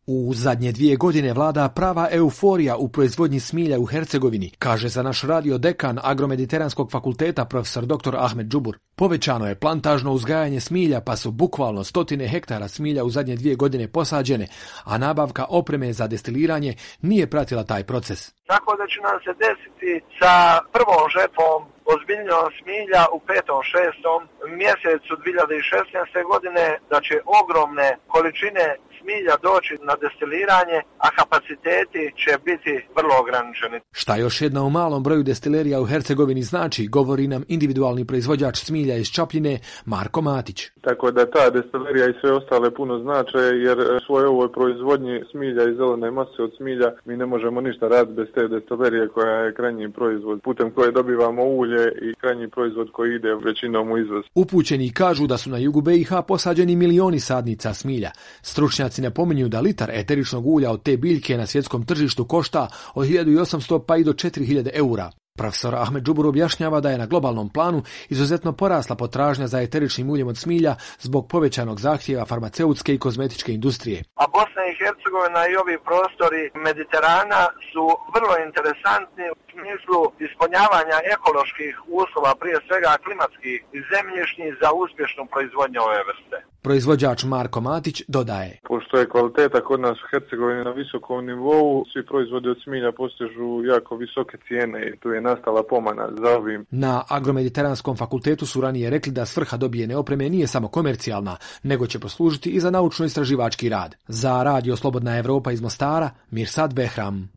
U zadnje 2 godine vlada prava euforija u proizvodnji smilja u Hercegovini, kaže za naš radio dekan Agromediteranskog fakulteta profesor dr. Ahmed Džubur. Povećano je plantažno uzgajanje smilja, pa su bukvalno stotine hektara smilja u zadnje 2 godine posađene, a nabavka opreme za destiliranje nije pratila taj proces. Tako da će nam se desiti sa prvom žetvom ozbiljnjom smilja u 5. 6. mjesecu 2016. godine, da će ogromne količine smilja doći na destiliranje, a kapaciteti će biti vrlo ograničeni. Šta još jedna u malom broju destilerija u Hercegovini znači, govori nam individualni proizvođač smilja iz Čapljine Marko Matić. Tako da ta destilerija i sve ostale puno znače, jer svoj ovoj proizvodnji smilja i zelene mase od smilja mi ne možemo ništa raditi bez te destilerije koja je krajnji proizvod, putem koje dobivamo ulje i krajnji proizvod koji ide većinom u izvoz. Upućeni kažu da su na jugu BiH posađeni milioni sadnica smilja. Stručnjaci napominju da litar eteričnog ulja od te biljke na svjetskom tržištu košta od 1800 pa i do 4000 eura. Profesor Ahmed Džubur objašnjava da je na globalnom planu izuzetno porasla potražnja za eteričnim uljem od smilja zbog povećanog zahtjeva farmaceutske i kozmetičke industrije. A Bosna i Hercegovina i ovi prostori Mediterana su vrlo interesantni u smislu ispunjavanja ekoloških uslova, prije svega klimatskih i zemljišnih, za uspješnu proizvodnju ove vrste. Proizvođač Marko Matić dodaje: Pošto je kvaliteta kod nas u Hercegovini na visokom nivou, svi proizvodi od smilja postižu jako visoke cijene i tu je nastala pomana za ovim. Na Agromediteranskom fakultetu su ranije rekli da svrha dobijene opreme nije samo komercijalna, nego će poslužiti i za naučno-istraživački rad. Za radio Slobodna Evropa iz Mostara, Mirsad Behram.